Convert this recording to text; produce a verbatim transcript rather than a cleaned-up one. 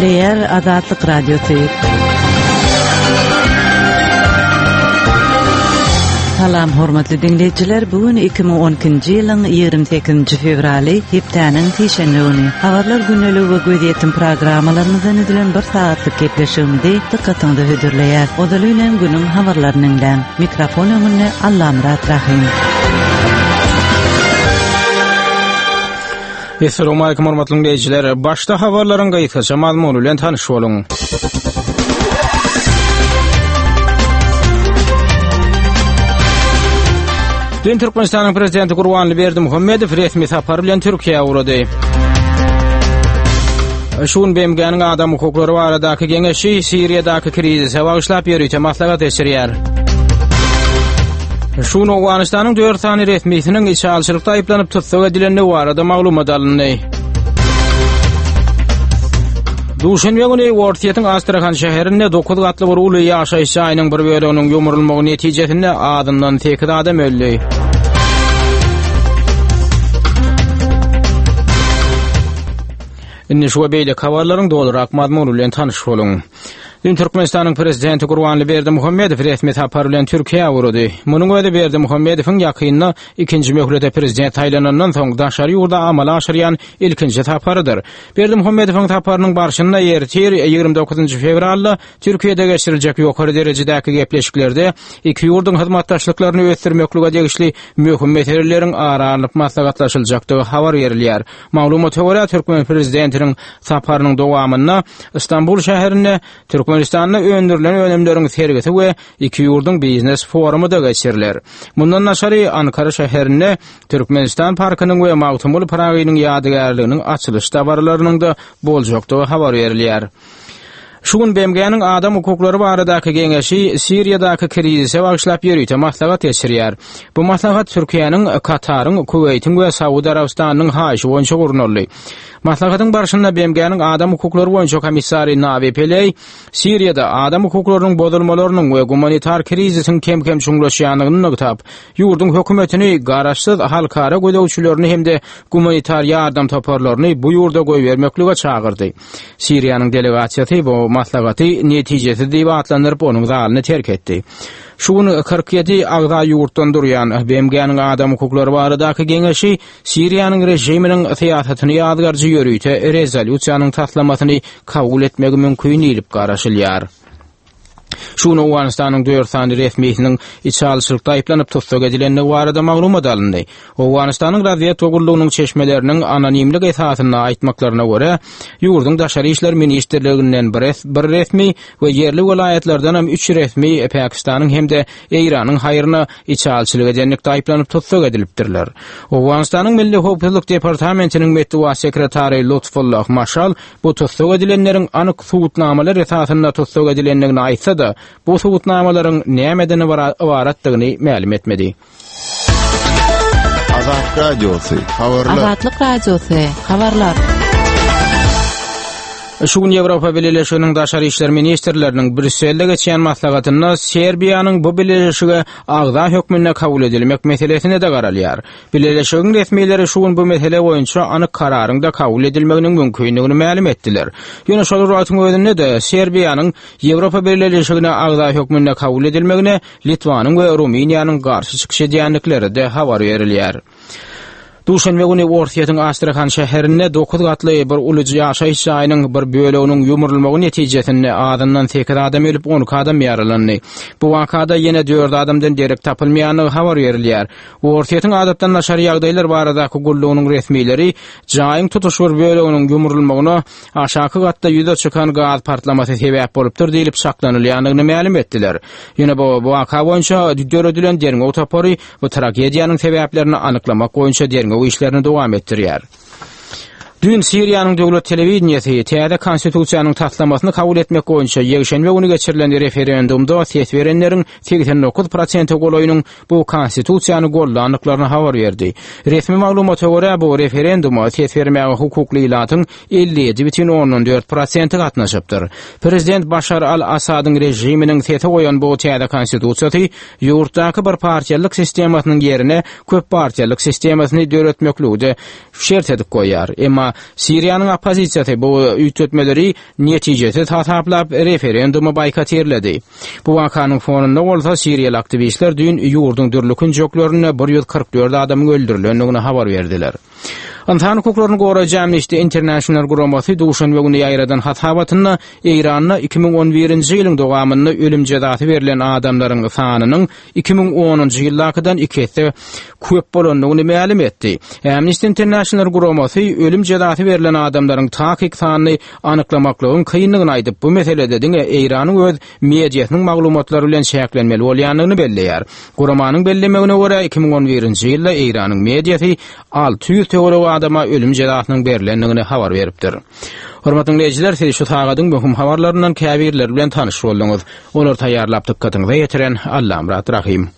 Gepleýär Azatlyk Radiosy. Salam hormatly dinleýjiler. Bu gün iki müň on ikinji ýylyň ýigrimi sekizinji fewraly, hepdäniň sişenbe güni. Habarlar gündeligi we gözýetim programmalarymyzdan düzülen bir saatlyk gepleşigimizi dykgatyňyza hödürleýär. Ozaly bilen günüň habarlaryny diňläň. Mikrofon öňünde Allamyrat Rahim. Esselamu aleýkum hormatly dinleýjiler. Başda habarlaryň gysgaça mazmuny bilen tanyş boluň. Dün Türkmenistanyň Prezidenti Gurbanguly Berdimuhamedow resmi sapar bilen Türkiýä ugrady. Şu gün B M G-niň adam hukuklary baradaky geňeşi Siriýadaky krizise bagyşlap ýörite maslahat geçirýär. Şu gün Owganystanyň dört sany resmisiniň içalçylykda aýyplanyp tussag edilendigi barada maglumat alyndy. Duşenbe güni Orsýetiň Astrahan şäherinde dokuz gatly bir uly ýaşaýyş jaýynyň bir böleginiň ýumrulmagy netijesinde azyndan sekiz adam öldi. Indi şu we beýleki habarlaryň dolurak mazmuny bilen tanyş boluň. Dün Türkmenistanyň Prezidenti Gurbanguly Berdimuhamedow resmi sapar bilen Türkiýä ugrady. Munuň özi Berdimuhamedowyň ýakynda ikinji möhlete prezident saýlanandan soň daşary ýurda amala aşyrýan ilkinji saparydyr. Berdimuhamedowyň saparynyň barşynda ertir ýigrimi dokuzynjy fewralda Türkiýede geçiriljek ýokary derejedäki gepleşiklerde iki ýurduň hyzmatdaşlyklaryny ösdürmeklige degişli möhüm meseleleriň ara alnyp maslahatlaşyljakdygy habar berilýär. Maglumata görä, Türkmen prezidentiniň saparynyň dowamynda Istanbul şäherinde Türkmenistanda öndürilen önümleriň sergisi we iki ýurduň biznes forumy da geçiriler. Mundan daşary Ankara şäherinde Türkmenistan parkynyň we Magtymguly Pyragynyň ýadygärliginiň açylyş dabaralarynyň da boljakdygy habar berilýär. Şu gün B M G-niň adam hukuklary baradaky geňeşi Siriýadaky krizise bagyşlap ýörite maslahat geçirýär. Bu maslahat Türkiýäniň, Kataryň, Kuweýtiň we Saud Arabystanynyň haýyşy boýunça gurnaldy. Maslahatyň barşynda B M G-niň adam hukuklary boýunça komissary Navi Pillay Siriýada adam hukuklarynyň bozulmalarynyň we gumanitar krizisiň kem-kem çuňlaşýandygyny nygtap, ýurduň hökümetini garaşsyz halkara gözegçilerini hem-de gumanitar ýardam toparlaryny bu ýurda goýbermeklige çagyrdy. Siriýanyň delegasiýasy bu maslahaty netijesiz diýip atlandyryp, onuň zalyny terk etdi. Şu gün kyrk ýedi agza ýurtdan durýan B M G-niň adam hukuklary baradaky geňeşi Siriýanyň režiminiň syýasatyny ýazgarjy ýörite rezolýusiýanyň taslamasyny kabul etmegi mümkin diýlip garaşylýar. Şu gün Owganystanyň dört sany resmisiniň içalçylykda aýyplanyp tussag edilendigi barada maglumat alyndy. Owganystanyň razwedka gullugynyň çeşmeleriniň anonimlik esasynda aýtmaklaryna görä, ýurduň Daşary işler ministrliginden bir res-, bir resmi we ýerli welaýatlardan hem üç resmi Pakistanyň hem-de Eýranyň haýryna içalçylyk edenlikde aýyplanyp tussag edilipdirler. Owganystanyň Milli Howpsuzlyk Departamentiniň metbugat sekretary Lutfullah Maşal bu tussag edilenleriň anyk subutnamalar esasynda tussag edilendigini aýtsa-da, bu subutnamalaryň nämeden ybaratdygyny mälim etmedi. Azatlyk Radiosy, habarlar. Azatlyk Radiosy, habarlar. Şu gün Ýewropa Bileleşiginiň Daşary işler ministrleriniň Brýusselde geçýän maslahatynda Serbiýanyň bu bileleşige agza hökmünde kabul edilmek meselesine de garalýar. Bileleşigiň resmileri şu gün bu mesele boýunça anyk kararyň da kabul edilmeginiň mümkindigini mälim etdiler. Ýöne şol wagtyň özünde de Serbiýanyň Ýewropa Bileleşigine agza hökmünde kabul edilmegine Litwanyň we Rumyniýanyň garşy çykyş edýändikleri de habar berilýär. Duşenbe güni Orsýetiň Astrahan şäherinde dokuz gatly bir uly ýaşaýyş jaýynyň bir böleginiň ýumrulmagy netijesinde azyndan sekiz adam ölüp, on iki adam ýaralandy. Bu wakada ýene dört adamdan derek tapylmaýandygy habar berilýär. Orsýetiň adatdan daşary ýagdaýlar baradaky gullugynyň resmileri jaýyň tutuş bir böleginiň ýumrulmagyna aşaky gatda ýüze çykan gaz partlamasy sebäp bolupdyr diýlip saklanylýandygyny mälim etdiler. Ýöne bu waka boýunça döredilen derňew topary bu tragediýanyň sebäplerini anyklamak boýunça derňew işlerini dowam etdirýär. Dün Siriýanyň döwlet telewideniýesi täze konstitusiýanyň taslamasyny kabul etmek boýunça ýekşenbe güni geçirilen referendumda ses berenleriň segsen dokuz prosente golaýynyň bu konstitusiýany gollandyklaryny habar berdi. Resmi maglumata görä bu referenduma ses bermäge hukukly ilatyň elli ýedi bütin ondan dört prosenti gatnaşypdyr. Prezident Başar al-Asadyň režiminiň sese goýan bu täze konstitusiýasy ýurtdaky bir partiýalyk sistemasynyň ýerine köp partiýalyk sistemasyny döretmekligi şert edip goýýar. Emma Emma Siriýanyň oppozisiýasy bu üýtgetmeleri netijesiz hasaplap, referendumy boýkotirledi. Bu wakanyň fonunda bolsa Siriýaly aktiwistler düýn ýurduň dürli künjeklerinde bir ýüz kyrk dört adamyň öldürilendigini habar berdiler. Ynsan hukuklaryny goraýjy Amnesty International guramasy duşenbe güni ýaýradan hasabatynda Eýranda iki müň on birinji ýylyň dowamynda ölüm jezasy berlen adamlaryň sanynyň iki müň onunjy ýyldakydan iki esse köp bolandygyny mälim etdi. Amnesty International guramasy ölüm jezasy berlen adamlaryň takyk sanyny anyklamaklygyň kyndygyny aýdyp, bu meselede diňe Eýranyň öz mediasynyň maglumatlary bilen çäklenmeli bolýandygyny belleýär. Guramanyň bellemegine görä iki müň on birinji ýylda Eýranyň mediasy alty ýüz töweregi adama ölüm jezasynyň berlendigini habar beripdir. Hormatly dinleýjiler, siz şu sagadyň möhüm habarlaryndan käbirleri bilen tanyş bolduňyz. Olar taýýarlap dykgatyňyza ýetiren Allamyrat Rahim.